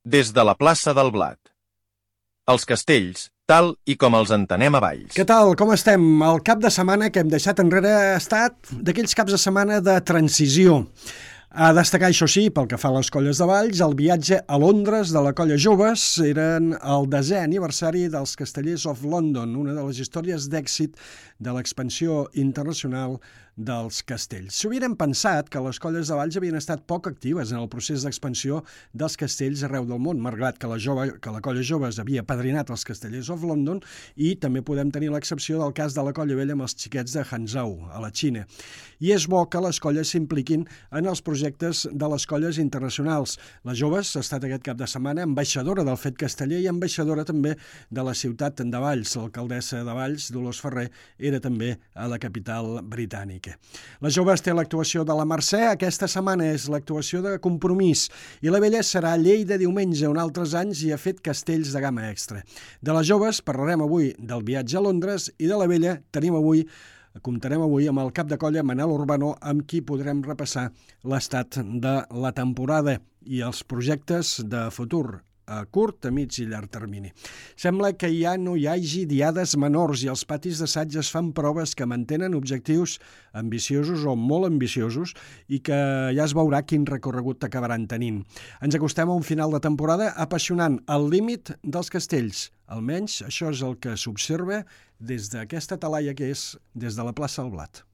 Des de la plaça del Blat. Els castells, tal i com els entenem a Valls. Què tal? Com estem? El cap de setmana que hem deixat enrere ha estat d'aquells caps de setmana de transició. A destacar, això sí, pel que fa a les colles de Valls, el viatge a Londres de la colla Joves eren el 10è aniversari dels Castellers of London, una de les històries d'èxit de l'expansió internacional dels castells. S'ho havien pensat que les colles de Valls havien estat poc actives en el procés d'expansió dels castells arreu del món, malgrat que la colla Joves havia padrinat els Castellers of London, i també podem tenir l'excepció del cas de la colla vella amb els xiquets de Hangzhou, a la Xina. I és bo que les colles s'impliquin en els projectes de les colles internacionals. La Joves ha estat aquest cap de setmana ambaixadora del fet casteller i ambaixadora també de la ciutat de Valls. L'alcaldessa de Valls, Dolors Ferrer, era també a la capital britànica. La Joves té l'actuació de la Mercè, aquesta setmana és l'actuació de Compromís, i la vella serà a Lleida diumenge, on altres anys hi ha fet castells de gamma extra. De les Joves parlarem avui del viatge a Londres, i de la vella comptarem avui amb el cap de colla Manel Urbano, amb qui podrem repassar l'estat de la temporada i els projectes de futur a curt, a mig i llarg termini. Sembla que ja no hi hagi diades menors i els patis d'assaig es fan proves que mantenen objectius ambiciosos o molt ambiciosos i que ja es veurà quin recorregut acabaran tenint. Ens acostem a un final de temporada apassionant, al límit dels castells. Almenys això és el que s'observa des d'aquesta talaia que és des de la plaça del Blat.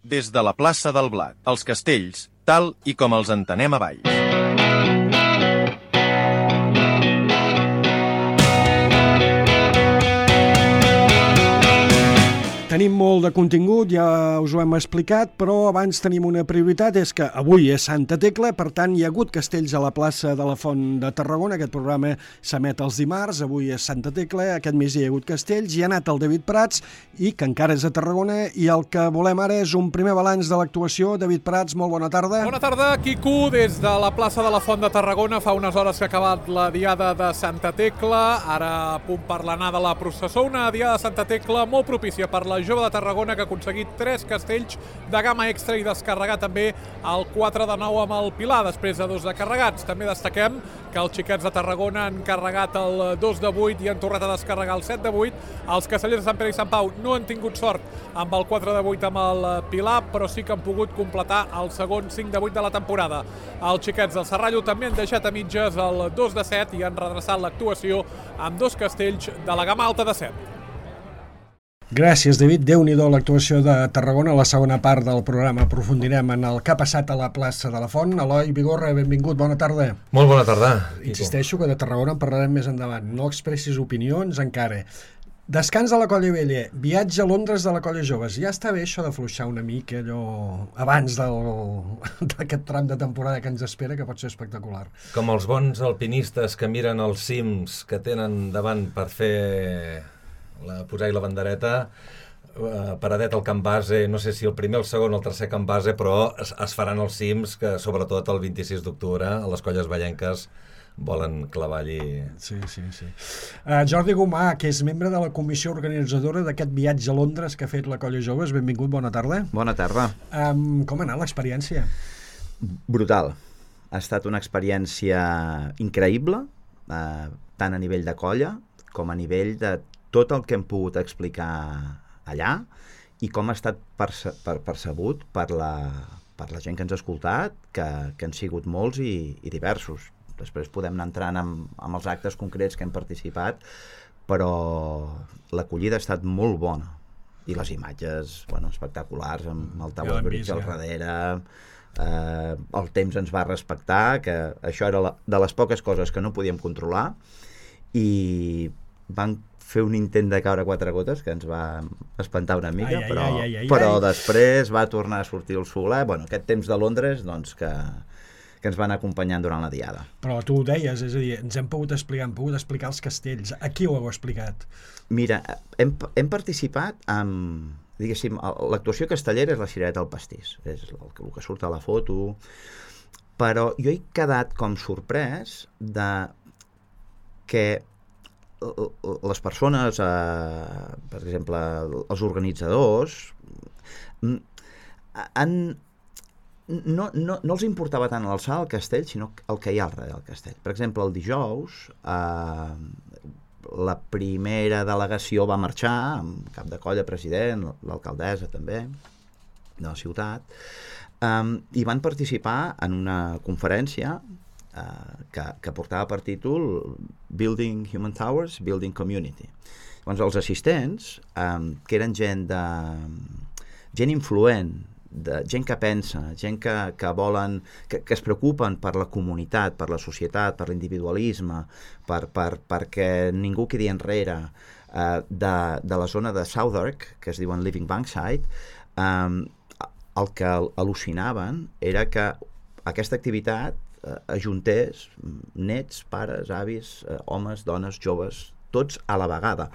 Des de la plaça del Blat. Els castells, tal i com els entenem a Valls. Tenim molt de contingut, ja us ho hem explicat, però abans tenim una prioritat, és que avui és Santa Tecla, per tant hi ha hagut castells a la plaça de la Font de Tarragona, aquest programa s'emet els dimarts, avui és Santa Tecla, aquest mes hi ha hagut castells, hi ha anat el David Prats, i que encara és a Tarragona, i el que volem ara és un primer balanç de l'actuació. David Prats, molt bona tarda. Bona tarda, Quico, des de la plaça de la Font de Tarragona, fa unes hores que ha acabat la diada de Santa Tecla, ara a punt per l'anar de la processó, una diada de Santa Tecla molt propícia per la Jove de Tarragona, que ha aconseguit 3 castells de gamma extra i descarregar també el 4 de 9 amb el Pilar, després de 2 de carregats. També destaquem que els xiquets de Tarragona han carregat el 2 de 8 i han tornat a descarregar el 7 de 8. Els castellers de Sant Pere i Sant Pau no han tingut sort amb el 4 de 8 amb el Pilar, però sí que han pogut completar el segon 5 de 8 de la temporada. Els xiquets del Serrallo també han deixat a mitges el 2 de 7 i han redreçat l'actuació amb 2 castells de la gamma alta de 7. Gràcies, David. Déu-n'hi-do l'actuació de Tarragona. A la segona part del programa aprofundirem en el que ha passat a la plaça de la Font. Eloi Vigorra, benvingut, bona tarda. Molt bona tarda. Insisteixo que de Tarragona en parlarem més endavant. No expressis opinions encara. Descans de la colla vella, viatge a Londres de la colla Joves. Ja està bé això de fluixar una mica allò abans d'aquest tram de temporada que ens espera, que pot ser espectacular. Com els bons alpinistes que miren els cims que tenen davant per fer posar-hi la bandereta, paradet al camp base, no sé si el primer, el segon o el tercer camp base, però es faran els cims que sobretot el 26 d'octubre a les colles vallenques volen clavar allí. Sí. Jordi Gomà, que és membre de la comissió organitzadora d'aquest viatge a Londres que ha fet la colla Joves, benvingut, bona tarda. Bona tarda. Com ha anat l'experiència? Brutal. Ha estat una experiència increïble, tant a nivell de colla com a nivell de tot el que hem pogut explicar allà i com ha estat percebut per la gent que ens ha escoltat, que han sigut molts i diversos. Després podem anar entrant amb els actes concrets que hem participat, però l'acollida ha estat molt bona i les imatges, espectaculars, amb el Tower Bridge al darrere. El temps ens va respectar, que això era de les poques coses que no podíem controlar, i van fer un intent de caure a 4 gotes que ens va espantar una mica, però després va tornar a sortir el soler. Aquest temps de Londres que ens van acompanyant durant la diada. Però tu ho deies, és a dir, ens hem pogut explicar els castells. A qui ho heu explicat? Mira, hem participat amb, diguéssim, l'actuació castellera és la cirereta al pastís, és el que surt a la foto, però jo he quedat com sorprès de que les persones, per exemple, els organitzadors, no els importava tant l'alçada del castell, sinó el que hi ha al darrere del castell. Per exemple, el dijous, la primera delegació va marxar, amb cap de colla, president, l'alcaldessa també, de la ciutat, i van participar en una conferència que portava per títol Building Human Towers, Building Community. Llavors, els assistents, que eren gent influent, gent que pensa, gent que volen, que es preocupen per la comunitat, per la societat, per l'individualisme, perquè ningú quedi enrere, de la zona de Southwark, que es diuen Living Bankside, el que al·lucinaven era que aquesta activitat ajuntés nets, pares, avis, homes, dones, joves, tots a la vegada.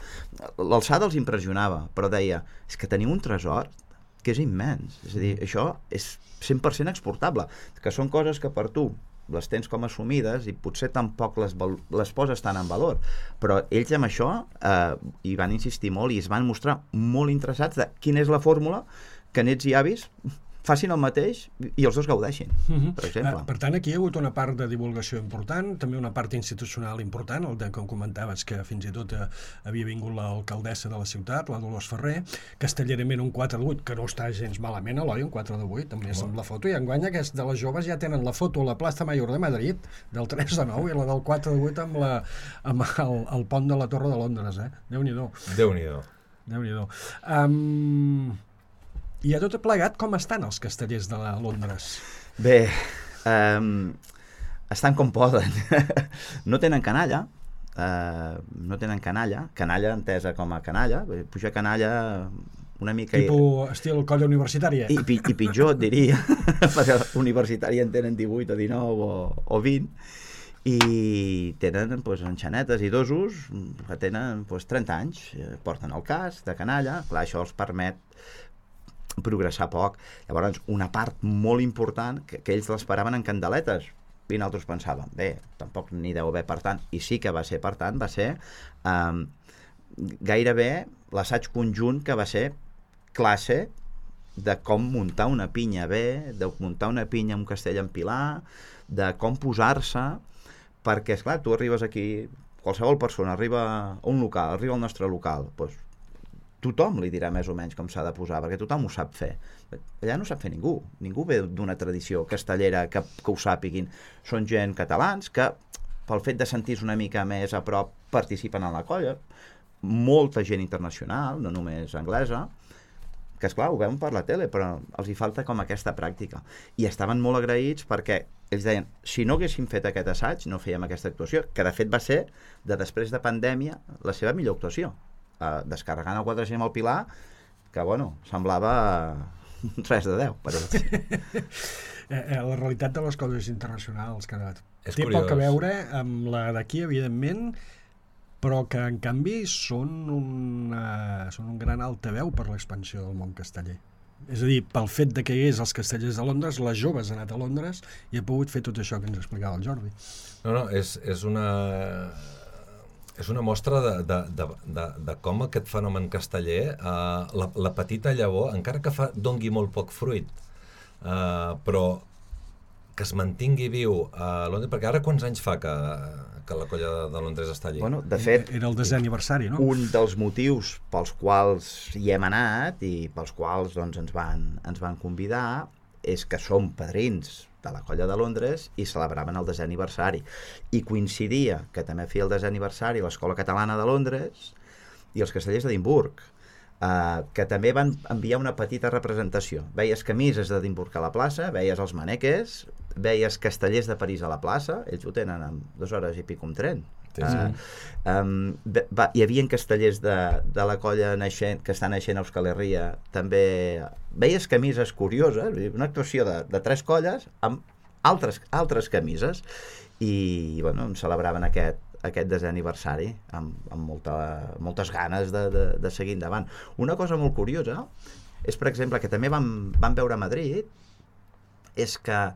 L'alçada els impressionava, però deia, és que teniu un tresor que és immens, és a dir, això és 100% exportable, que són coses que per tu les tens com assumides i potser tampoc les poses tant en valor, però ells amb això hi van insistir molt i es van mostrar molt interessats de quina és la fórmula que nets i avis facin el mateix i els dos gaudeixin, per exemple. Per tant, aquí hi ha hagut una part de divulgació important, també una part institucional important, el de com comentaves que fins i tot havia vingut l'alcaldessa de la ciutat, la Dolors Ferrer, castellerament un 4 de 8, que no està gens malament, Eloi, un 4 de 8, també és amb la foto, i enguany aquests de les joves ja tenen la foto a la Plaça Mayor de Madrid, del 3 de 9, i la del 4 de 8 amb el pont de la Torre de Londres, Déu-n'hi-do. Déu-n'hi-do. Déu-n'hi-do. I a tot plegat, com estan els castellers de Londres? Bé, estan com poden. No tenen canalla, canalla entesa com a canalla, pujar canalla una mica... Tipus estil colla universitària. I pitjor, et diria, perquè universitària en tenen 18 o 19 o 20, i tenen enxanetes i dosos que tenen 30 anys, porten el casc de canalla, clar, això els permet progressar poc. Llavors, una part molt important, que ells l'esperaven en candeletes, i nosaltres pensàvem, bé, tampoc n'hi deu haver per tant, i sí que va ser per tant, va ser gairebé l'assaig conjunt que va ser classe de com muntar una pinya bé, de muntar una pinya amb un castell en pilar, de com posar-se, perquè, esclar, tu arribes aquí, qualsevol persona arriba a un local, arriba al nostre local, doncs tothom li dirà més o menys com s'ha de posar, perquè tothom ho sap fer. Allà no sap fer ningú ve d'una tradició castellera que ho sàpiguin. Són gent catalans que, pel fet de sentir-se una mica més a prop, participen en la colla. Molta gent internacional, no només anglesa, que esclar, ho veuen per la tele, però els hi falta com aquesta pràctica. I estaven molt agraïts perquè ells deien, si no haguéssim fet aquest assaig, no fèiem aquesta actuació, que de fet va ser, de després de pandèmia, la seva millor actuació. Descarregant el 4G amb el Pilar, que, bueno, semblava res de 10, per dir. La realitat de les coses internacionals, que És té curiós. poc a veure amb la d'aquí, evidentment, però que, en canvi, són un gran altaveu per l'expansió del món casteller. És a dir, pel fet de que hi hagués els castellers de Londres, les joves han anat a Londres i ha pogut fer tot això que ens explicava el Jordi. No, és una mostra de com aquest fenomen casteller, la petita llavor, encara que dongui molt poc fruit, però que es mantingui viu a Londres, perquè ara quants anys fa que la colla de Londres està allí? Bueno, de fet, Era el 10è aniversari, no? un dels motius pels quals hi hem anat i pels quals doncs, ens van convidar és que som padrins de la colla de Londres i celebraven el 10è aniversari. I coincidia que també feia el 10è aniversari l'Escola Catalana de Londres i els castellers d'Edimburg, que també van enviar una petita representació. Veies camises d'Edimburg a la plaça, veies els maneques, veies castellers de París a la plaça, ells ho tenen en 2 hores i pico amb tren. Hi havia castellers de la colla naixent, que està naixent a Euskal Herria, també veies camises curioses, una actuació de 3 colles amb altres camises, i bueno, em celebraven aquest 10è aniversari amb moltes ganes de seguir endavant. Una cosa molt curiosa és, per exemple, que també vam veure a Madrid, és que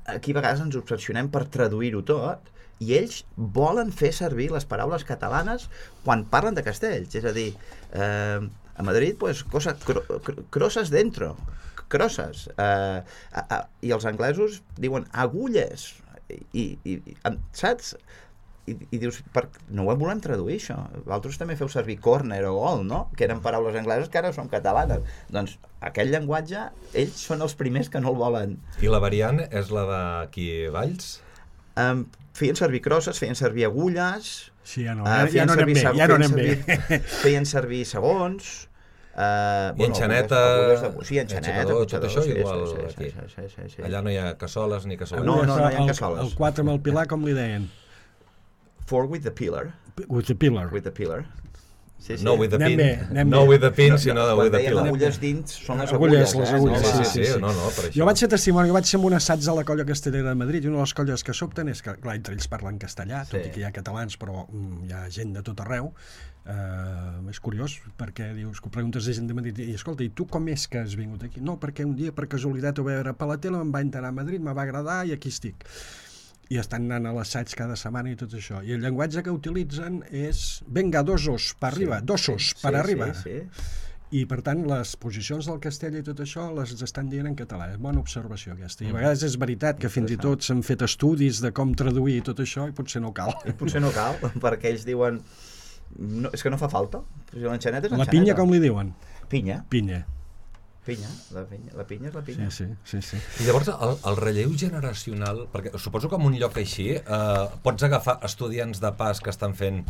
aquí a vegades ens obsessionem per traduir-ho tot, i ells volen fer servir les paraules catalanes quan parlen de castells. És a dir, A Madrid, pues, crosses dentro, crosses. I els anglesos diuen agulles. Saps? I dius, no ho volem traduir, això. Vosaltres també feu servir corner o gol, no? Que eren paraules angleses que ara són catalanes. Doncs aquell llenguatge, ells són els primers que no el volen. I la variant és la d'aquí Valls? Feien servir crosses, feien servir agulles... Sí, ja no anem bé. Feien servir segons... I enxaneta... Sí, enxaneta, tot això igual aquí. Allà no hi ha cassoles ni cassoles. No hi ha cassoles. El 4 amb el pilar, com li deien? 4 with the pillar. With the pillar. With the pillar. Sí. No with the pin. No with the pin, sinó with the pillar. Quan agulles dins, són les agulles. agulles. Sí. No, per això. Jo vaig ser testimoni, vaig ser en un assaig a la colla castellera de Madrid, i una de les colles que sobten és que, clar, entre ells parlen castellà, tot i que hi ha catalans, però hi ha gent de tot arreu. És curiós, perquè dius que preguntes a gent de Madrid, i escolta, i tu com és que has vingut aquí? No, perquè un dia, per casualitat, ho vaig veure per la tele, em va entrar a Madrid, me va agradar i aquí estic. I estan anant a l'assaig cada setmana i tot això. I el llenguatge que utilitzen és venga, dosos per arriba, dosos per arriba. I, per tant, les posicions del castell i tot això les estan dient en català. És bona observació, aquesta. I a vegades és veritat que fins i tot s'han fet estudis de com traduir tot això i potser no cal. Potser no cal, perquè ells diuen... No, és que no fa falta. L'enxaneta és la pinya, com li diuen? Pinya. Pinya. La pinya és la pinya. Sí. I llavors el relleu generacional, perquè suposo que en un lloc així pots agafar estudiants de pas que estan fent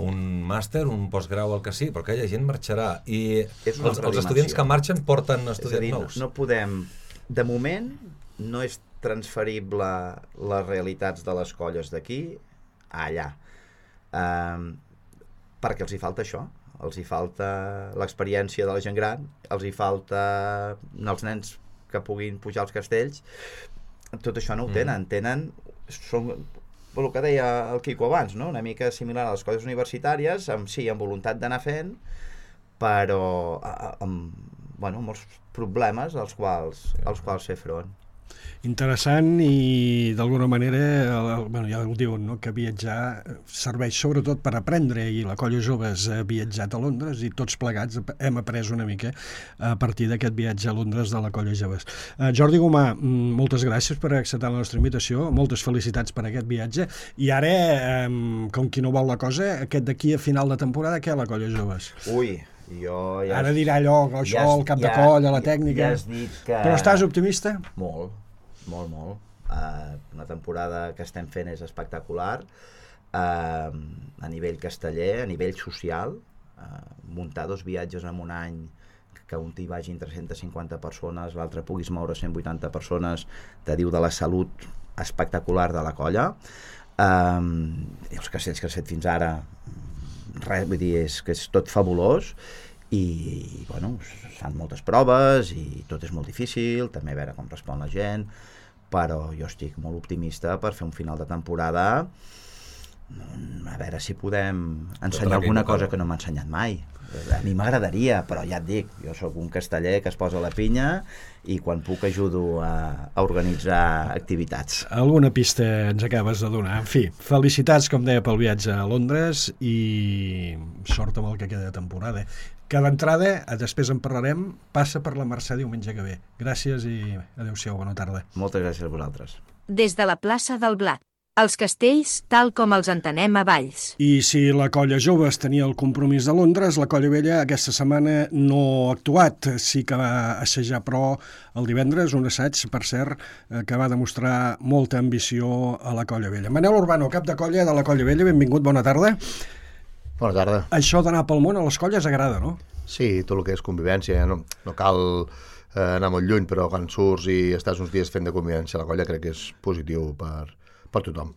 un màster, un postgrau, el que sí, però aquella gent marxarà i els estudiants que marxen porten estudiants nous. No podem, de moment no és transferible les realitats de les colles d'aquí a allà, perquè els hi falta això. Els hi falta l'experiència de la gent gran, els hi falta els nens que puguin pujar als castells. Tot això no ho tenen. Són el que deia el Quico abans, no? Una mica similar a les colles universitàries, amb voluntat d'anar fent, però amb molts problemes als quals fer front. Interessant, i d'alguna manera ja ho diuen, no? Que viatjar serveix sobretot per aprendre, i la colla joves ha viatjat a Londres i tots plegats hem après una mica a partir d'aquest viatge a Londres de la colla joves. Jordi Gomà, moltes gràcies per acceptar la nostra invitació, moltes felicitats per aquest viatge, i ara, com qui no vol la cosa, aquest d'aquí a final de temporada, què la colla joves? Ara dirà allò, el cap de colla, la tècnica... Però estàs optimista? Molt. La temporada que estem fent és espectacular, a nivell casteller, a nivell social, muntar 2 viatges en un any, que un t'hi vagin 350 persones, l'altre puguis moure 180 persones, te diu de la salut espectacular de la colla. I els castells que has fet fins ara, res, vull dir, és que és tot fabulós, i fan moltes proves i tot és molt difícil, també a veure com respon la gent, però jo estic molt optimista per fer un final de temporada, a veure si podem ensenyar alguna cosa que no m'ha ensenyat mai. A mi m'agradaria, però ja et dic, jo sóc un casteller que es posa la pinya i quan puc ajudo a organitzar activitats. Alguna pista ens acabes de donar. En fi, felicitats, com deia, pel viatge a Londres i sort amb el que queda de temporada. Que d'entrada, després en parlarem, passa per la Mercè diumenge que ve. Gràcies i adeu-siau, bona tarda. Moltes gràcies a vosaltres. Des de la plaça del Blat. Els castells tal com els entenem a Valls. I si la colla joves tenia el compromís de Londres, la colla vella aquesta setmana no ha actuat. Sí que va assajar, però el divendres, un assaig, per cert, que va demostrar molta ambició a la colla vella. Manel Urbano, cap de colla de la colla vella, benvingut, bona tarda. Bona tarda. Això d'anar pel món a les colles agrada, no? Sí, tot el que és convivència. No cal anar molt lluny, però quan surts i estàs uns dies fent de convivència a la colla crec que és positiu per tothom.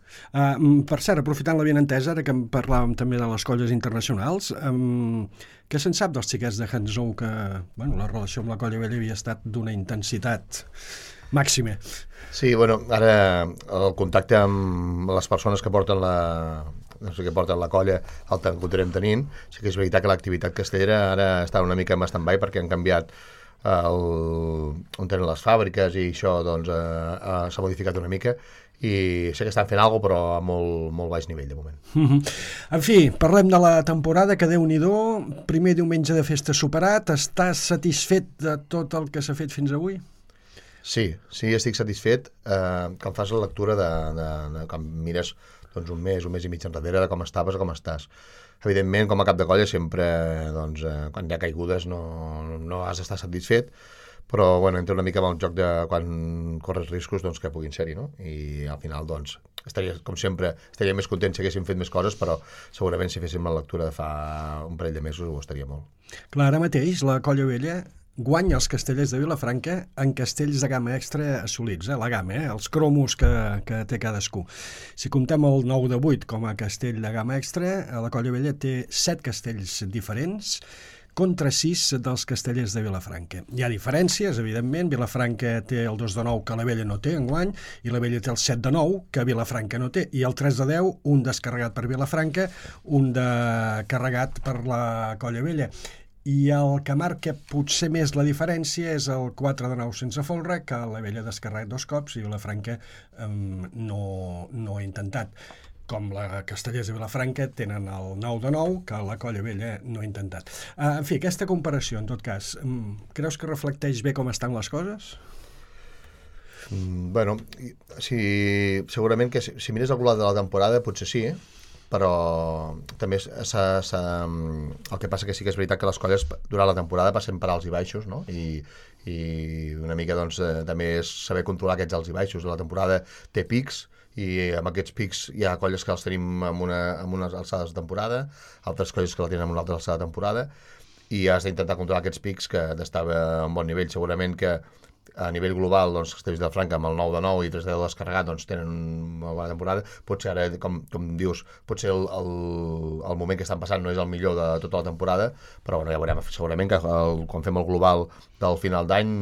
Per cert, aprofitant la benentesa, ara que parlàvem també de les colles internacionals, què se'n sap dels xiquets de Hangzhou, que la relació amb la colla vella havia estat d'una intensitat màxima? Sí, ara el contacte amb les persones que porten la colla el continuem tenint. Sí que és veritat que l'activitat castellera ara està una mica en stand-by perquè han canviat on tenen les fàbriques i això doncs, s'ha modificat una mica i sé que estan fent alguna cosa però a molt baix nivell de moment. En fi, parlem de la temporada, que Déu-n'hi-do, primer diumenge de festa superat. Estàs satisfet de tot el que s'ha fet fins avui? Sí, estic satisfet que em fas la lectura quan mires doncs, un mes i mig enrere de com estaves o com estàs. Evidentment, com a cap de colla, sempre doncs, quan hi ha caigudes no has d'estar satisfet, però bueno, entra una mica amb el joc de quan corres riscos doncs, que puguin ser-hi, no? I al final, doncs, com sempre, estaria més content si haguéssim fet més coses, però segurament si féssim la lectura de fa un parell de mesos ho estaria molt. Clar, ara mateix la Colla Vella guanya els castellers de Vilafranca en castells de gamma extra assolits, la gamma, els cromos que té cadascú. Si comptem el 9 de 8 com a castell de gamma extra, la Colla Vella té 7 castells diferents contra 6 dels castellers de Vilafranca. Hi ha diferències, evidentment. Vilafranca té el 2 de 9 que la Vella no té enguany, i la Vella té el 7 de 9 que Vilafranca no té, i el 3 de 10, un descarregat per Vilafranca, un de carregat per la Colla Vella. I el que marca potser més la diferència és el 4 de 9 sense folre, que la Vella ha descarregat 2 cops i Vilafranca no ha intentat. Com la Castellers de Vilafranca tenen el 9 de 9, que la Colla Vella no ha intentat. En fi, aquesta comparació, en tot cas, creus que reflecteix bé com estan les coses? Bueno, segurament que si mires el global de la temporada potser sí, però també el que passa que sí que és veritat que les colles durant la temporada passen per alts i baixos, no? I una mica doncs, també és saber controlar aquests alts i baixos. La temporada té pics i amb aquests pics hi ha colles que els tenim amb unes alçades de temporada, altres colles que la tenen amb una altra alçada de temporada, i has d'intentar controlar aquests pics que d'estar a un bon nivell. Segurament que a nivell global, doncs, Castellers de Vilafranca amb el 9 de 9 i 3 de 10 descarregat doncs, tenen una bona temporada. Potser ara, com dius, potser el moment que estan passant no és el millor de tota la temporada, però bueno, ja veurem. Segurament que quan fem el global del final d'any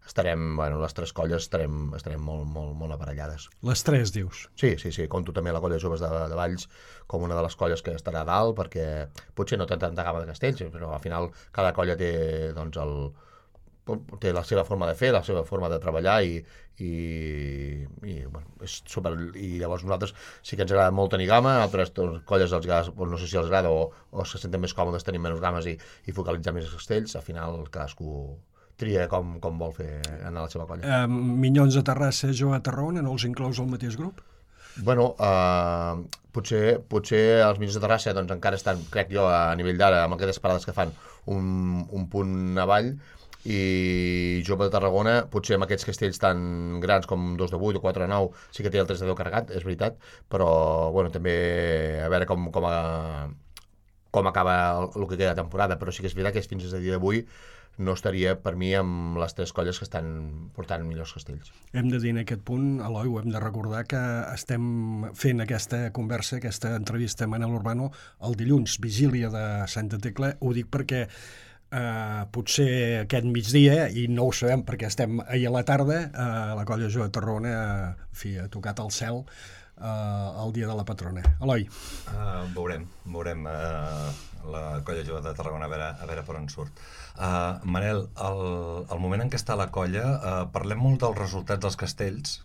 les 3 colles estarem molt aparellades. Les 3, dius? Sí. Conto també la colla de joves de Valls com una de les colles que estarà a dalt, perquè potser no té tanta gamma de castells, però al final cada colla té doncs, té la seva forma de fer, la seva forma de treballar i bueno, és super. I llavors nosaltres sí que ens agrada molt tenir gamma, altres colles els agrada, no sé si els agrada o se senten més còmodes tenint menys games i focalitzar més els castells. Al final cadascú tria com vol fer anar a la seva colla. Minyons de Terrassa, Jo a Tarragona, no els inclous al mateix grup? Bueno, potser els Minyons de Terrassa doncs, encara estan, crec jo, a nivell d'ara, amb aquestes parades que fan un punt avall, i Jove de Tarragona, potser amb aquests castells tan grans com 2 de 8 o 4 de 9, sí que té el 3 de 10 carregat, és veritat, però bueno, també a veure com acaba el que queda de temporada, però sí que és veritat que fins a dia d'avui no estaria per mi amb les 3 colles que estan portant millors castells. Hem de dir en aquest punt, Eloi, ho hem de recordar que estem fent aquesta conversa, aquesta entrevista a Manel Urbano el dilluns, vigília de Santa Tecla. Ho dic perquè potser aquest migdia, i no ho sabem perquè estem ahir a la tarda, la colla Jove de Tarragona ha tocat el cel el dia de la patrona. Eloi? Veurem la colla Jove de Tarragona a veure per on surt. Manel, el moment en què està la colla, parlem molt dels resultats dels castells,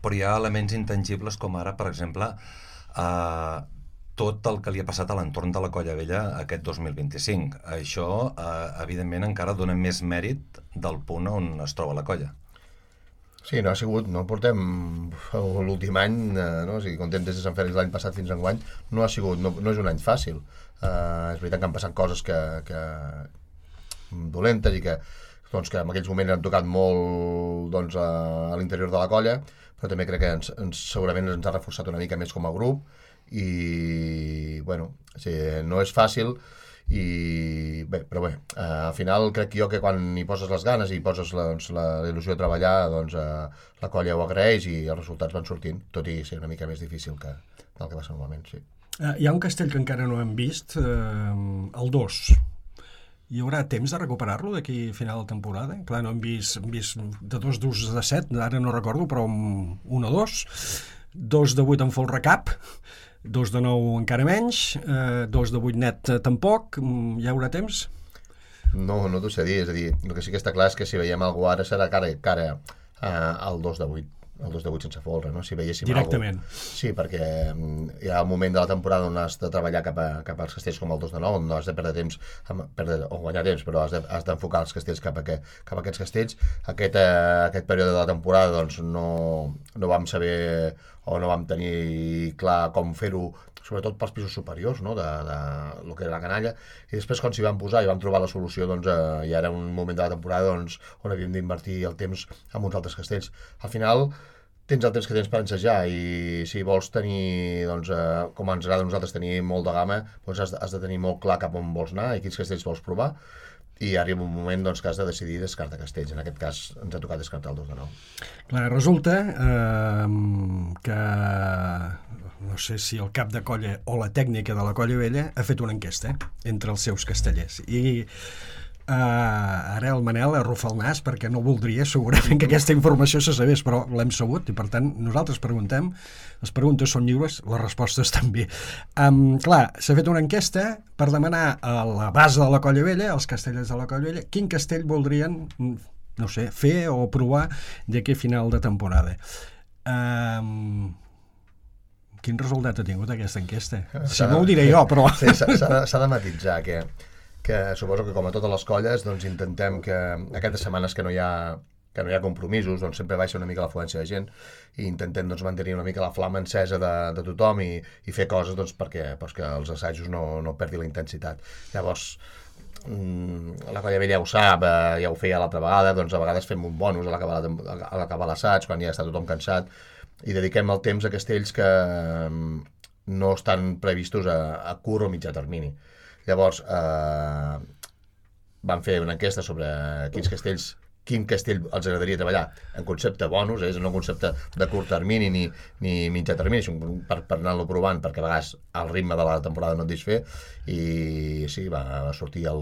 però hi ha elements intangibles com ara, per exemple, tot el que li ha passat a l'entorn de la Colla Vella aquest 2025. Això, evidentment, encara dona més mèrit del punt on es troba la colla. Sí, no ha sigut, no portem l'últim any, no? O sigui, comptem des de Sant Fèlix l'any passat fins a enguany, no és un any fàcil. És veritat que han passat coses que dolentes i que en aquells moments han tocat molt doncs, a l'interior de la colla, però també crec que segurament ens ha reforçat una mica més com a grup i, bueno, no és fàcil però bé, al final crec jo que quan hi poses les ganes i hi poses la il·lusió de treballar, doncs la colla ho agraeix i els resultats van sortint, tot i ser una mica més difícil del que va ser normalment, sí. Hi ha un castell que encara no hem vist, el 2. Hi haurà temps de recuperar-lo d'aquí a final de temporada? Clar, no hem vist de 2 d'ús de 7, ara no recordo, però 1 o 2. 2 de 8 en folre cap, 2 de 9 encara menys, 2 de 8 net tampoc. Hi haurà temps? No t'ho sé dir, és a dir, el que sí que està clar és que si veiem algú ara serà cara al 2 de 8, el 2 de 8 sense folre, no? Si veiéssim directament. Sí, perquè hi ha un moment de la temporada on has de treballar cap als castells com el 2 de 9, on no has de perdre temps, o guanyar temps, però has d'enfocar els castells cap a aquests castells. Aquest període de la temporada doncs, no vam saber o no vam tenir clar com fer-ho, sobretot pels pisos superiors, no? de lo que era la canalla, i després quan s'hi vam posar i vam trobar la solució, doncs ja era un moment de la temporada doncs, on havíem d'invertir el temps en uns altres castells. Al final tens el temps que tens per ensejar, i si vols tenir, doncs, com ens agrada a nosaltres tenir molt de gamma, doncs has de tenir molt clar cap on vols anar i quins castells vols provar, i arriba un moment doncs, que has de decidir descartar castells. En aquest cas ens ha tocat descartar el 2 de 9. Clar, resulta que no sé si el cap de colla o la tècnica de la Colla Vella ha fet una enquesta entre els seus castellers, i ara el Manel arrufa el nas perquè no voldria segurament que aquesta informació se sabés, però l'hem sabut i per tant nosaltres preguntem, les preguntes són lliures, les respostes també. Clar, s'ha fet una enquesta per demanar a la base de la Colla Vella, als castellers de la Colla Vella, quin castell voldrien, no sé, fer o provar d'aquí a final de temporada. Quin resultat ha tingut aquesta enquesta? Si no ho diré jo, però... Sí, s'ha de matitzar que suposo que com a totes les colles doncs intentem que aquestes setmanes que no hi ha compromisos doncs sempre baixa una mica l'afluència de gent, i intentem doncs mantenir una mica la flama encesa de tothom i fer coses doncs perquè els assajos no perdi la intensitat. Llavors la Colla Vella ja ho sap, ja ho feia l'altra vegada, doncs a vegades fem un bonus a l'acabar l'assaig, quan ja està tothom cansat, i dediquem el temps a castells que no estan previstos a curt o mitjà termini. Llavors vam fer una enquesta sobre quin castell els agradaria treballar en concepte bonus, és no en concepte de curt termini ni mitjà termini, per anar-lo provant, perquè a vegades el ritme de la temporada no et deixa fer, i sí, va sortir el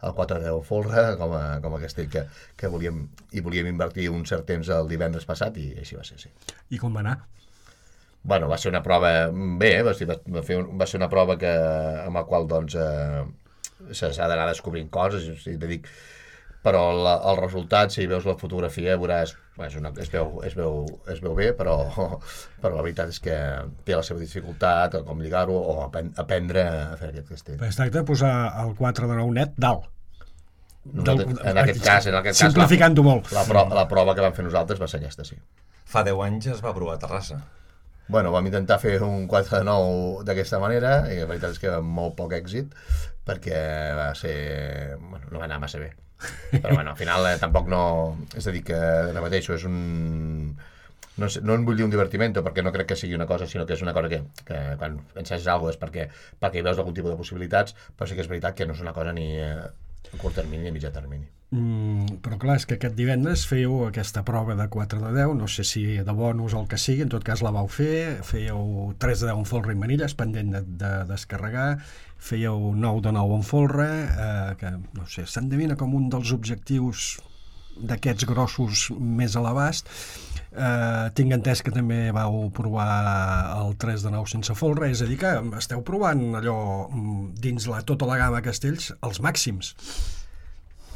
4-10 folre com a castell que volíem invertir un cert temps el divendres passat, i així va ser, sí. I com va anar? Bueno, va ser una prova bé, va ser una prova amb la qual doncs s'ha d'anar descobrint coses, però el resultat, si veus la fotografia, veuràs, es veu bé, però la veritat és que té la seva dificultat, com lligar-ho o aprendre a fer aquest castell. Es tracta de posar el 4 de 9 net dalt. En aquest cas, simplificant-ho molt. La prova que vam fer nosaltres va ser aquesta, sí. Fa 10 anys es va provar a Terrassa. Bueno, vam intentar fer un 4 de 9 d'aquesta manera, i la veritat és que amb molt poc èxit, perquè no va anar massa bé. Però bueno, al final tampoc no... És a dir, que repeteixo, és un... No en vull dir un divertiment, perquè no crec que sigui una cosa, sinó que és una cosa que quan ensenyes alguna cosa és perquè hi veus algun tipus de possibilitats, però sí que és veritat que no és una cosa ni a curt termini ni a mitjà termini. Però clar, és que aquest divendres fèieu aquesta prova de 4 de 10, no sé si de bonus o el que sigui, en tot cas la vau fer, fèieu 3 de 10 en folre i manilles, pendent de descarregar, fèieu 9 de 9 en folre, que no sé, s'endevina com un dels objectius d'aquests grossos més a l'abast. Tinc entès que també vau provar el 3 de 9 sense folre, és a dir que esteu provant allò dins tota la gamma castells als màxims.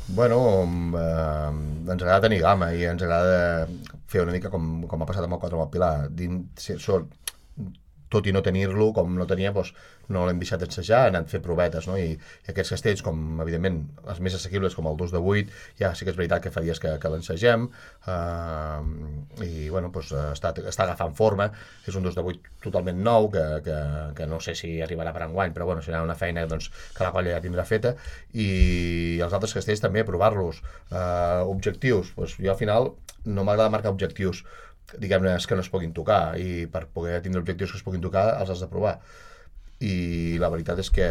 Bueno, ens agrada tenir gamma i ens agrada fer una mica com ha passat amb el 4 amb el Pilar. Tot i no tenir-lo, com no tenia, doncs no l'hem deixat ensejar, hem anat a fer provetes, no? I aquests castells, com evidentment els més assequibles, com el 2 de 8, ja sí que és veritat que fa dies que l'ensegem, i bueno, doncs està agafant forma. És un 2 de 8 totalment nou, que no sé si arribarà per enguany, però bueno, serà una feina doncs, que la colla ja tindrà feta, i els altres castells també, provar-los. Objectius, doncs jo al final no m'agrada marcar objectius, diguem-ne, que no es puguin tocar, i per poder tindre objectius que es puguin tocar els has de provar, i la veritat és que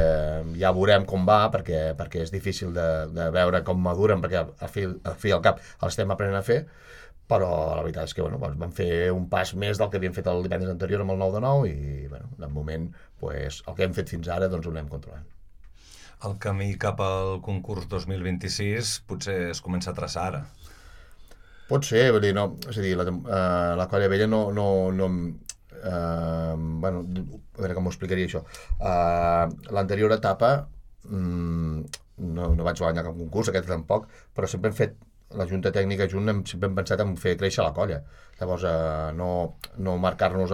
ja veurem com va, perquè és difícil de veure com maduren, perquè al fi al cap els estem aprenent a fer, però la veritat és que bueno, vam fer un pas més del que havíem fet el divendres anterior amb el 9 de 9, i bueno, de moment el que hem fet fins ara doncs ho anem controlant. El camí cap al concurs 2026 potser es comença a traçar ara. Pot ser, vull dir, no, és a dir, la Colla Vella bueno, a veure com ho explicaria això. L'anterior etapa no vaig guanyar cap concurs, aquest tampoc, però sempre hem fet, la Junta Tècnica sempre hem pensat en fer créixer la colla. Llavors, no marcar-nos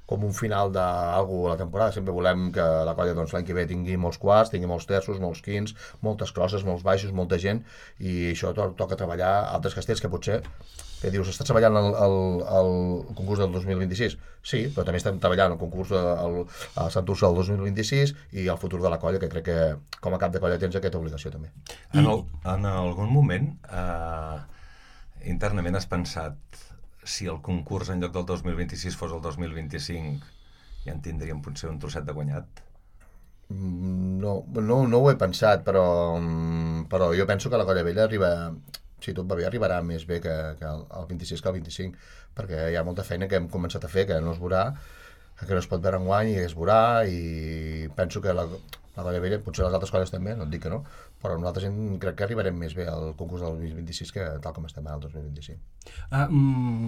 com un final d'algú a la temporada. Sempre volem que la colla l'any que ve tingui molts quarts, tingui molts terços, molts quints, moltes crosses, molts baixos, molta gent, i això toca treballar altres castells que potser, que dius, estàs treballant el concurs del 2026? Sí, però també estem treballant el concurs a Sant Ursa del 2026 i el futur de la colla, que crec que com a cap de colla tens aquesta obligació també. En algun moment internament has pensat si el concurs en lloc del 2026 fos el 2025 ja en tindríem potser un trosset de guanyat? No ho he pensat, però jo penso que la colla vella si tot va bé, arribarà més bé que el 26 que el 25, perquè hi ha molta feina que hem començat a fer, que no es veurà, que no es pot veure enguany i es veurà, i penso que la colla vella, potser les altres colles també, no et dic que no, però nosaltres crec que arribarem més bé al concurs del 2026 que tal com estem al 2025.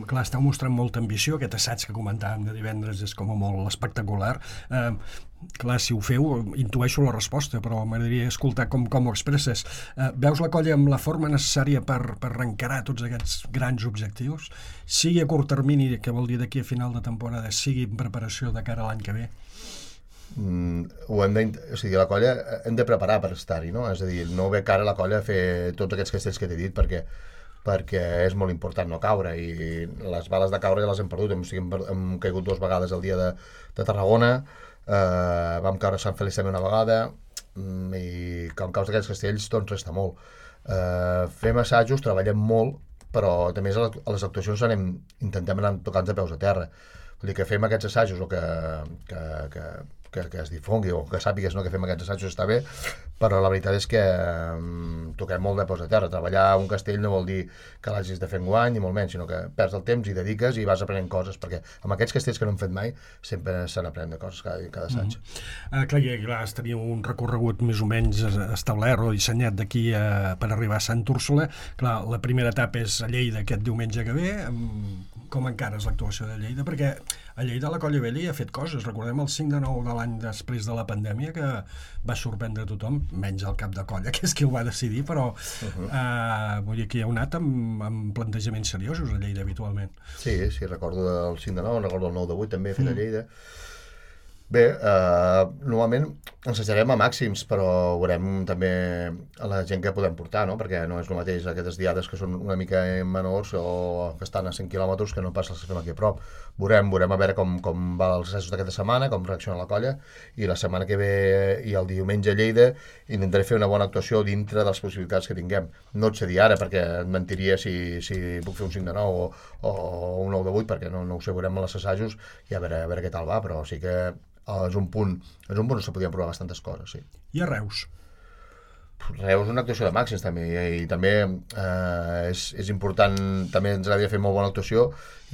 Clar, esteu mostrant molta ambició, aquest assaig que comentàvem de divendres és com a molt espectacular. Clar, si ho feu, intueixo la resposta, però m'agradaria escoltar com ho expresses. Veus la colla amb la forma necessària per reencarar tots aquests grans objectius? Sigui a curt termini, que vol dir d'aquí a final de temporada, sigui en preparació de cara a l'any que ve? La colla hem de preparar per estar-hi, no? És a dir, no ve cara a la colla a fer tots aquests castells que t'he dit perquè és molt important no caure, i les bales de caure ja les hem perdut. Hem caigut 2 vegades el dia de Tarragona, vam caure a Sant Feliç també una vegada, i com caus d'aquests castells doncs resta molt. Fem assajos, treballem molt, però també a les actuacions intentem anar tocant de peus a terra. Vull dir que fem aquests assajos o que es difongui o que sàpigues que fem aquests assajos està bé, però la veritat és que toquem molt de peus a terra. Treballar un castell no vol dir que l'hagis de fer enguany, ni molt menys, sinó que perds el temps i dediques i vas aprenent coses, perquè amb aquests castells que no hem fet mai sempre se n'aprèn de coses cada assaig. Clar, teniu un recorregut més o menys establert o dissenyat d'aquí per arribar a Sant Úrsula. Clar, la primera etapa és a Lleida aquest diumenge que ve. Com encares l'actuació de Lleida? Perquè a Lleida la colla vella hi ha fet coses. Recordem el 5 de 9 de l'any després de la pandèmia, que va sorprendre tothom, menys el cap de colla, que és qui ho va decidir, però vull dir que hi ha anat amb plantejaments seriosos a Lleida habitualment. Sí, recordo el 5 de 9, recordo el 9 de 8 també fet a Lleida. Bé, normalment ensajarem a màxims, però veurem també a la gent que podem portar, no? Perquè no és el mateix aquestes diades que són una mica menors o que estan a 100 quilòmetres que no pas les que fem aquí a prop. Veurem a veure com va els assajos d'aquesta setmana, com reacciona la colla, i la setmana que ve i el diumenge a Lleida intentaré fer una bona actuació dintre de les possibilitats que tinguem. No et sé dir ara, perquè et mentiria si puc fer un 5 de 9 o un 9 de 8, perquè no ho sé, veurem els assajos i a veure què tal va, però sí que és un punt on se podien provar bastantes coses, sí. I a Reus? Reus és una actuació de màxims també, i també és important, també ens agradaria fer molt bona actuació,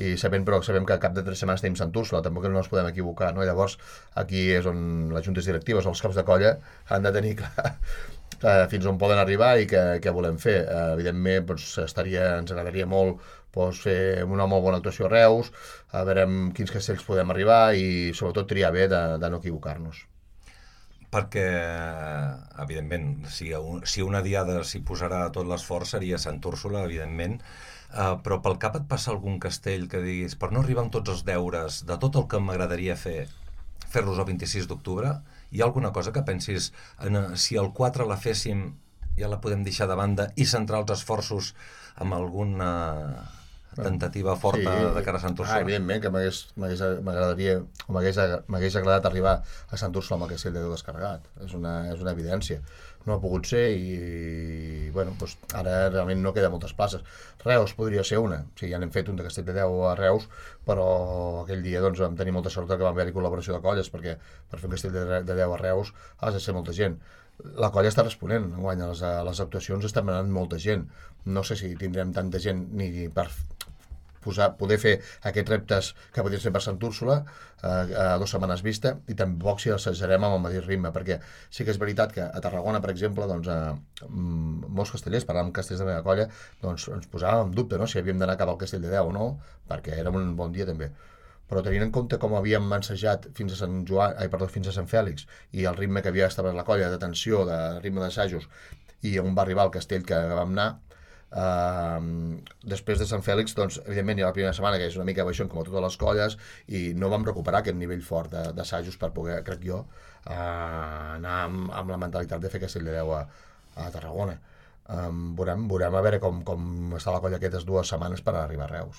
i sabem que al cap de 3 setmanes tenim Sant Úrsula, tampoc no ens podem equivocar, no? Llavors aquí és on les juntes directives o els caps de colla han de tenir clar fins on poden arribar i què volem fer. Evidentment ens agradaria molt fer una molt bona actuació a Reus, a veure amb quins castells podem arribar i sobretot triar bé de no equivocar-nos. Perquè, evidentment, si una diada s'hi posarà tot l'esforç seria Sant Úrsula, evidentment, però pel cap et passa algun castell que diguis, per no arribar amb tots els deures de tot el que m'agradaria fer-los el 26 d'octubre, hi ha alguna cosa que pensis, si el 4 la féssim ja la podem deixar de banda i centrar els esforços amb alguna tentativa forta de cara a Sant Úrsula? Evidentment que m'agradaria o m'hagués agradat arribar a Sant Úrsula amb el castell de Déu descarregat. És una evidència. No ha pogut ser i ara realment no queda moltes places. Reus podria ser una. Sí, ja n'hem fet un de castell de Déu a Reus, però aquell dia vam tenir molta sort que vam haver-hi col·laboració de colles, perquè per fer un castell de Déu a Reus has de ser molta gent. La colla està responent enguany, a les actuacions està anant molta gent. No sé si tindrem tanta gent ni per poder fer aquests reptes que podrien ser per Sant Úrsula a 2 setmanes vista, i tampoc si assajarem amb el mateix ritme, perquè sí que és veritat que a Tarragona, per exemple, molts castellers, parlant amb castells de la meva colla, ens posàvem en dubte si havíem d'anar cap al castell de Déu o no, perquè era un bon dia també. Però tenint en compte com havíem ensajat fins a Sant Fèlix, i el ritme que havia establert la colla de tensió, de ritme d'assajos, i on va arribar el castell que vam anar. Després de Sant Fèlix, doncs, evidentment, hi ha la primera setmana que és una mica baixón com a totes les colles i no vam recuperar aquest nivell fort d'assajos per poder, crec jo, anar amb la mentalitat de fer Castell de Déu a Tarragona. Veurem a veure com està la colla aquestes 2 setmanes per arribar a Reus.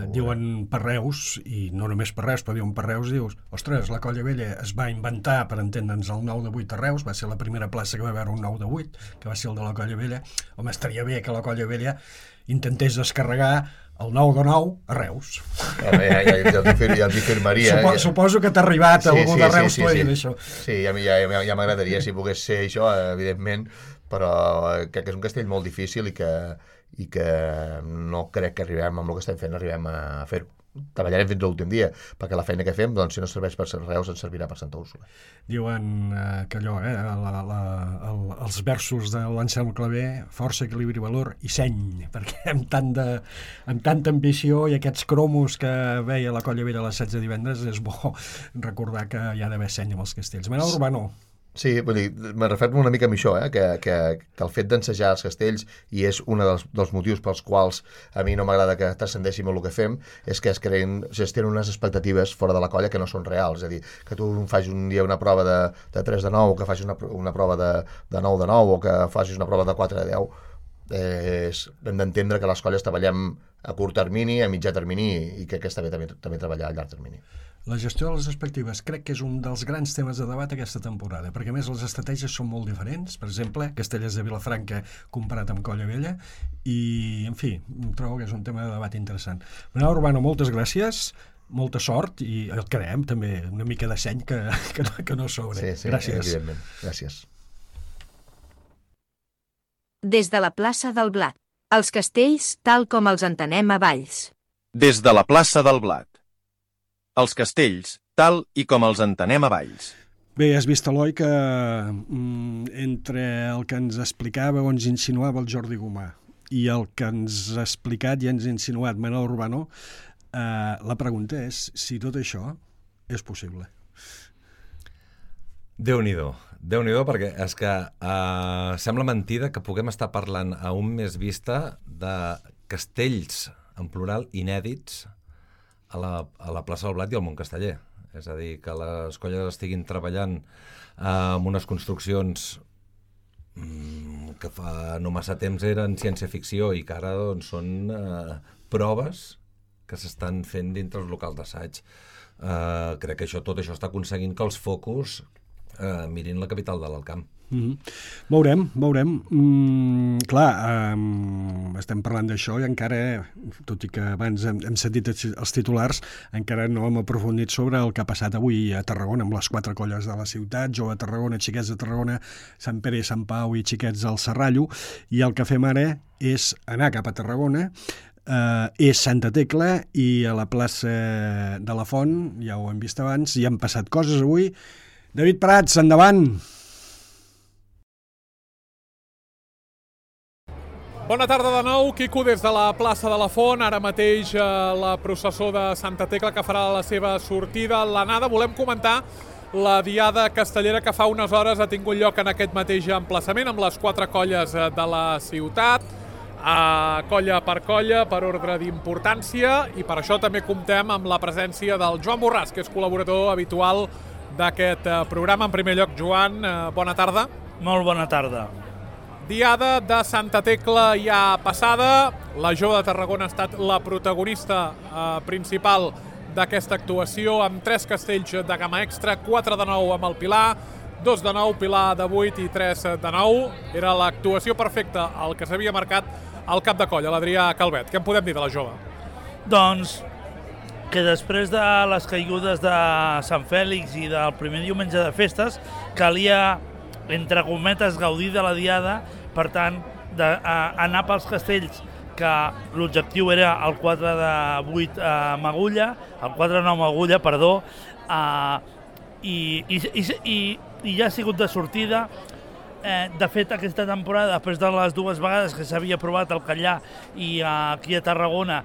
Diuen per Reus, i no només per Reus, però diuen per Reus, dius, ostres, la colla vella es va inventar, per entendre'ns, el 9 de 8 a Reus, va ser la primera plaça que va haver un 9 de 8, que va ser el de la colla vella. Home, estaria bé que la colla vella intentés descarregar el 9 de 9 a Reus. Ja els hi firmaria. Suposo que t'ha arribat algú de Reus tu dir això. Sí, ja m'agradaria si pogués ser això, evidentment, però crec que és un castell molt difícil i que no crec que arribem amb el que estem fent, arribem a fer-ho. Treballarem fins a l'últim dia, perquè la feina que fem, doncs, si no serveix per Reus, ens servirà per Santa Úrsula. Diuen que allò, els versos de l'Anselm Clavé, força, equilibri, valor i seny, perquè amb tanta ambició i aquests cromos que veia la Colla Vella a les 16 de divendres, és bo recordar que hi ha d'haver seny amb els castells. Manel Urbano. Sí, vull dir, me refermo una mica amb això, que el fet d'ensejar els castells, i és un dels motius pels quals a mi no m'agrada que transcendeixi molt el que fem, és que es tenen unes expectatives fora de la colla que no són reals. És a dir, que tu facis un dia una prova de 3 de 9, o que facis una prova de 9 de 9, o que facis una prova de 4 de 10, hem d'entendre que les colles treballem a curt termini, a mitjà termini, i que està bé també treballar a llarg termini. La gestió de les expectatives crec que és un dels grans temes de debat aquesta temporada, perquè a més les estratègies són molt diferents. Per exemple, Castellers de Vilafranca comparat amb Colla Vella, i, en fi, trobo que és un tema de debat interessant. Manel Urbano, moltes gràcies, molta sort, i el creem també una mica de seny que no sobre. Sí, gràcies. Evidentment. Gràcies. Des de la plaça del Blat. Els castells tal com els entenem a Valls. Des de la plaça del Blat. Els castells, tal i com els entenem a Valls. Bé, has vist, Eloi, que entre el que ens explicava o ens insinuava el Jordi Gomà i el que ens ha explicat i ens ha insinuat Manel Urbano, la pregunta és si tot això és possible. Déu-n'hi-do, perquè és que sembla mentida que puguem estar parlant a un mes vista de castells, en plural, inèdits, a la plaça del Blat i al Montcasteller. És a dir, que les colles estiguin treballant amb unes construccions que fa no massa temps eren ciència-ficció i que ara doncs, són proves que s'estan fent dintre els locals d'assaig. Crec que tot això està aconseguint que els focus mirin la capital de l'Alt Camp. Veurem. Clar, estem parlant d'això i encara, tot i que abans hem sentit els titulars, encara no hem aprofundit sobre el que ha passat avui a Tarragona amb les 4 colles de la ciutat, Jove de Tarragona, Xiquets de Tarragona, Sant Pere i Sant Pau i Xiquets del Serrallo, i el que fem ara és anar cap a Tarragona. És Santa Tecla, i a la plaça de la Font, ja ho hem vist abans, hi han passat coses avui. David Prats, endavant! Bona tarda de nou, Quico, des de la plaça de la Font. Ara mateix la processó de Santa Tecla que farà la seva sortida a l'anada. Volem comentar la diada castellera que fa unes hores ha tingut lloc en aquest mateix emplaçament amb les 4 colles de la ciutat, colla per colla, per ordre d'importància, i per això també comptem amb la presència del Joan Borràs, que és col·laborador habitual d'aquest programa. En primer lloc, Joan, bona tarda. Molt bona tarda. Diada de Santa Tecla ja passada. La Jove de Tarragona ha estat la protagonista principal d'aquesta actuació, amb 3 castells de gamma extra, 4 de 9 amb el Pilar, 2 de 9, Pilar de 8 i 3 de 9. Era l'actuació perfecta, el que s'havia marcat al cap de colla, l'Adrià Calvet. Què en podem dir de la Jove? Doncs que després de les caigudes de Sant Fèlix i del primer diumenge de festes, calia, entre cometes, gaudir de la diada, per tant, anar pels castells, que l'objectiu era el 4 de 8 amb agulla, el 4 de 9 amb agulla, perdó, i ja ha sigut de sortida. De fet, aquesta temporada, després de les 2 vegades que s'havia provat al Callà i aquí a Tarragona,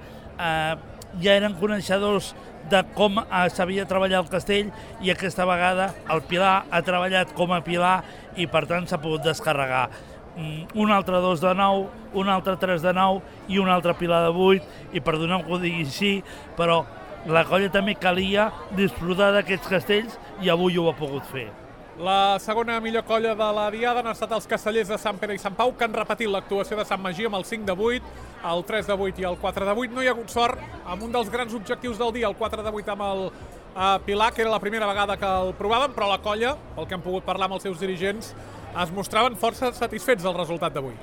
ja eren coneixedors de com s'havia treballat el castell, i aquesta vegada el Pilar ha treballat com a Pilar i per tant s'ha pogut descarregar. un altre 2 de 9, un altre 3 de 9 i un altre pilar de 8, i perdoneu que ho digui així, però la colla també calia disfrutar d'aquests castells i avui ho ha pogut fer. La segona millor colla de la diada han estat els castellers de Sant Pere i Sant Pau, que han repetit l'actuació de Sant Magí amb el 5 de 8, el 3 de 8 i el 4 de 8. No hi ha hagut sort amb un dels grans objectius del dia, el 4 de 8 amb el Pilar, que era la primera vegada que el provàvem, però la colla, pel que hem pogut parlar amb els seus dirigents, es mostraven força satisfets del resultat d'avui.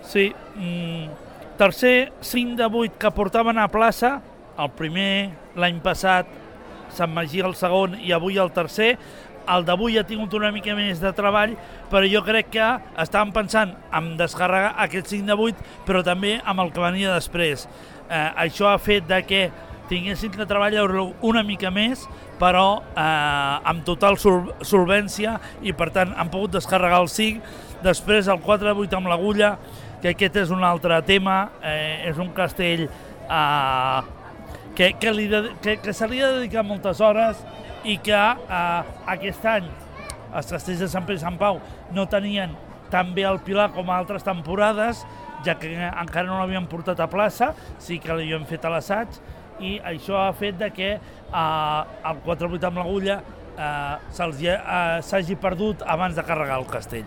Sí, tercer 5 de 8 que portaven a plaça, el primer l'any passat, Sant Magí el segon i avui el tercer. El d'avui ha tingut una mica més de treball, però jo crec que estàvem pensant en descarregar aquest 5 de 8, però també amb el que venia després. Això ha fet de que tinguessin que treballar-lo una mica més, però amb total solvència, i per tant han pogut descarregar el 5. Després el 4 de 8 amb l'Agulla, que aquest és un altre tema, és un castell que se li ha dedicat moltes hores, i que aquest any els castells de Sant Pere i Sant Pau no tenien tan bé el Pilar com altres temporades, ja que encara no l'havien portat a plaça, sí que l'havien fet a l'assaig, i això ha fet que el 4-8 amb l'Agulla s'hagi perdut abans de carregar el castell.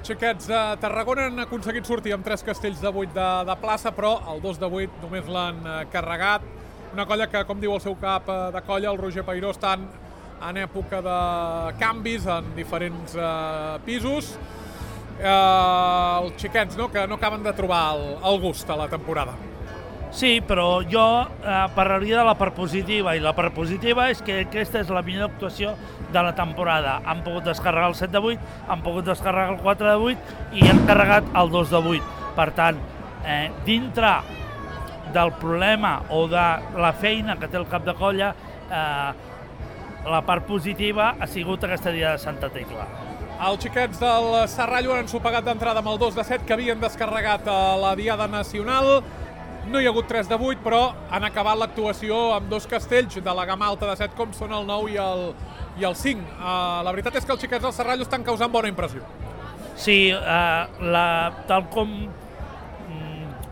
Xiquets de Tarragona han aconseguit sortir amb 3 castells de 8 de plaça, però el 2 de 8 només l'han carregat. Una colla que, com diu el seu cap de colla, el Roger Peiró, estan en època de canvis en diferents pisos. Els xiquets, no?, que no acaben de trobar el gust a la temporada. Sí, però jo parlaria de la part positiva, i la part positiva és que aquesta és la millor actuació de la temporada. Han pogut descarregar el 7 de 8, han pogut descarregar el 4 de 8 i han carregat el 2 de 8. Per tant, dintre del problema o de la feina que té el cap de colla, la part positiva ha sigut aquesta dia de Santa Tecla. Els xiquets del Serrallo han ensopegat d'entrada amb el 2 de 7 que havien descarregat a la Diada Nacional. No hi ha hagut 3 de 8, però han acabat l'actuació amb 2 castells de la gamma alta de 7, com són el 9 i el 5. La veritat és que els xiquets del Serrallo estan causant bona impressió. Sí, tal com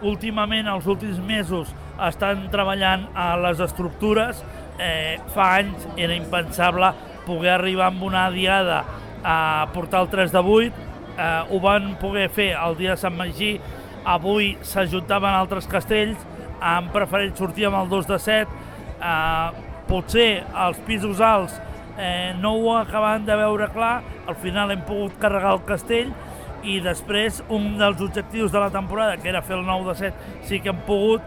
últimament, els últims mesos, estan treballant a les estructures. Fa anys era impensable poder arribar amb una diada a portar el 3 de 8. Ho van poder fer el dia de Sant Magí. Avui s'ajuntaven altres castells, han preferit sortir amb el 2 de 7. Potser els pisos alts no ho acaben de veure clar, al final hem pogut carregar el castell, i després un dels objectius de la temporada, que era fer el 9 de 7, sí que han pogut,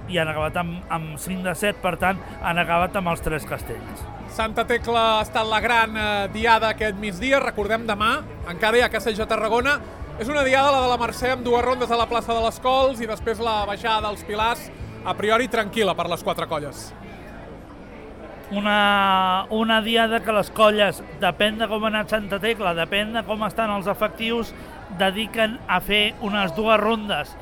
i han acabat amb 5 de 7, per tant han acabat amb els 3 castells. Santa Tecla ha estat la gran diada aquest migdia. Recordem, demà encara hi ha castells a Tarragona. És una diada, la de la Mercè, amb 2 rondes a la plaça de les Cols i després la baixada dels Pilars, a priori tranquil·la per les 4 colles. Una diada que les colles, depèn de com ha anat Santa Tecla, depèn de com estan els efectius, dediquen a fer unes 2 rondes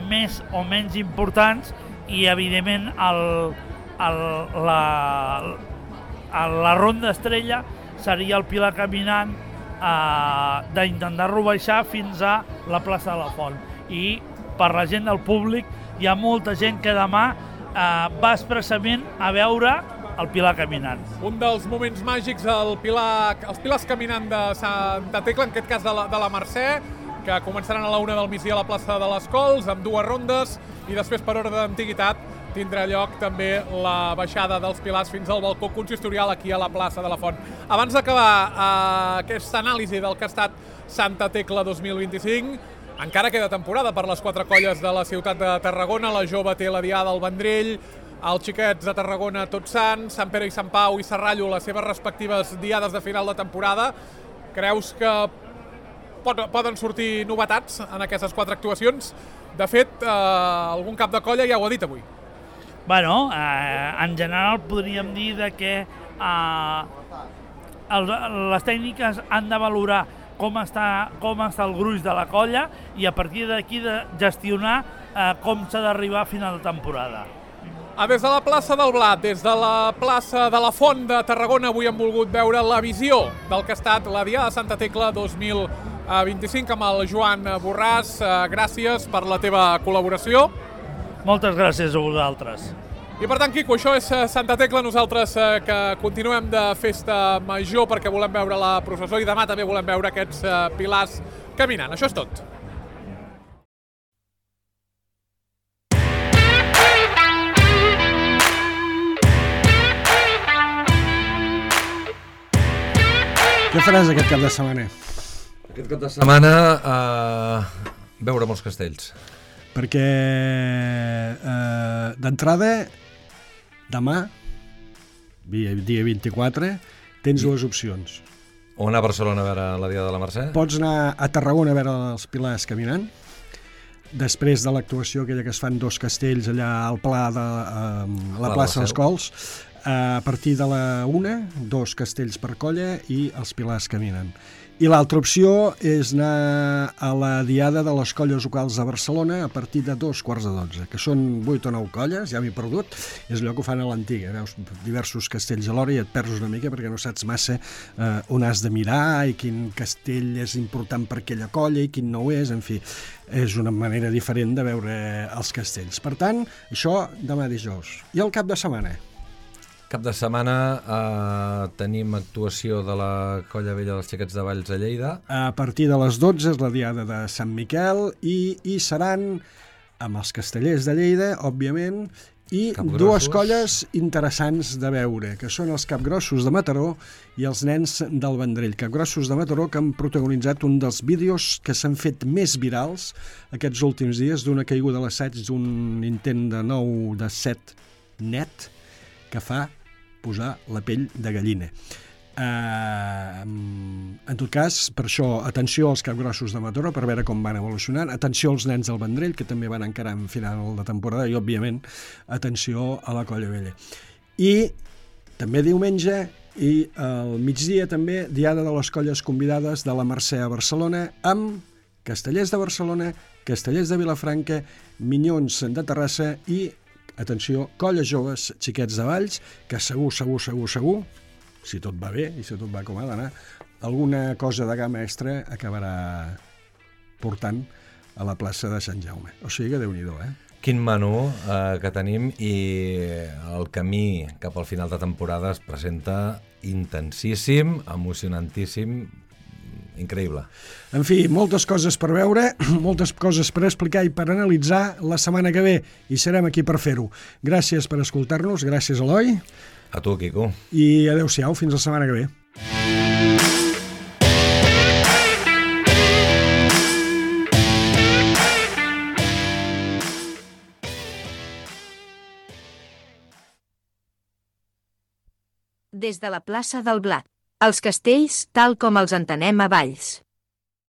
més o menys importants, i evidentment la ronda estrella seria el Pilar caminant, d'intentar-lo baixar fins a la plaça de la Font. I per la gent del públic hi ha molta gent que demà va expressament a veure el Pilar caminant. Un dels moments màgics, els Pilars caminant de Santa Tecla, en aquest cas de la Mercè, que començaran a la 1 del migdia a la plaça de les Cols, amb 2 rondes, i després, per ordre d'antiguitat, tindrà lloc també la baixada dels Pilars fins al balcó consistorial aquí a la plaça de la Font. Abans d'acabar aquesta anàlisi del que ha estat Santa Tecla 2025, encara queda temporada per les 4 colles de la ciutat de Tarragona. La Jove té la Diada al Vendrell, els xiquets de Tarragona Tots Sants, Sant Pere i Sant Pau i Serrallo les seves respectives diades de final de temporada. Creus que poden sortir novetats en aquestes 4 actuacions? De fet, algun cap de colla ja ho ha dit avui. Bueno, en general podríem dir que les tècniques han de valorar com està el gruix de la colla i a partir d'aquí de gestionar com s'ha d'arribar a final de temporada. Des de la plaça del Blat, des de la plaça de la Font de Tarragona, avui hem volgut veure la visió del que ha estat la Diada de Santa Tecla 2025. 25 amb el Joan Borràs. Gràcies per la teva col·laboració. Moltes gràcies a vosaltres. I per tant, Quico, això és Santa Tecla. Nosaltres que continuem de festa major perquè volem veure la processó i demà també volem veure aquests pilars caminant. Això és tot. Què faràs aquest cap de setmana? Aquest cap de setmana veure molts castells. Perquè d'entrada, demà, dia 24, tens dues opcions. O anar a Barcelona a veure la Diada de la Mercè? Pots anar a Tarragona a veure els pilars caminant, després de l'actuació aquella que es fan dos castells allà al Pla de la plaça dels Cols. A partir de la 1, 2 castells per colla i els pilars caminen. I l'altra opció és anar a la Diada de les Colles Locals de Barcelona a partir de 2:15, que són 8 o 9 colles, ja m'he perdut, és allò que ho fan a l'antiga, veus diversos castells alhora i et perds una mica perquè no saps massa on has de mirar i quin castell és important per aquella colla i quin no ho és, en fi, és una manera diferent de veure els castells. Per tant, això demà dijous. I el cap de setmana? Cap de setmana tenim actuació de la Colla Vella dels Xiquets de Valls a Lleida. A partir de les 12 és la Diada de Sant Miquel i hi seran amb els castellers de Lleida, òbviament, i dues colles interessants de veure, que són els Capgrossos de Mataró i els Nens del Vendrell. Capgrossos de Mataró que han protagonitzat un dels vídeos que s'han fet més virals aquests últims dies, d'una caiguda a l'assaig d'un intent de 9 de 7 net que fa posar la pell de gallina. En tot cas, per això, atenció als Capgrossos de Mataró per veure com van evolucionant, atenció als Nens del Vendrell, que també van encarar en final de temporada, i, òbviament, atenció a la Colla Vella. I també diumenge i al migdia també Diada de les Colles Convidades de la Mercè a Barcelona amb Castellers de Barcelona, Castellers de Vilafranca, Minyons de Terrassa i, atenció, Colles Joves Xiquets de Valls, que segur, si tot va bé i si tot va com ha d'anar, alguna cosa de gamma extra acabarà portant a la plaça de Sant Jaume. O sigui que Déu-n'hi-do, Quin menú que tenim, i el camí cap al final de temporada es presenta intensíssim, emocionantíssim, increïble. En fi, moltes coses per veure, moltes coses per explicar i per analitzar la setmana que ve, i serem aquí per fer-ho. Gràcies per escoltar-nos, gràcies, Eloi. A tu, Quico. I adeu-siau, fins la setmana que ve. Des de la plaça del Blat. Els castells tal com els entenem a Valls.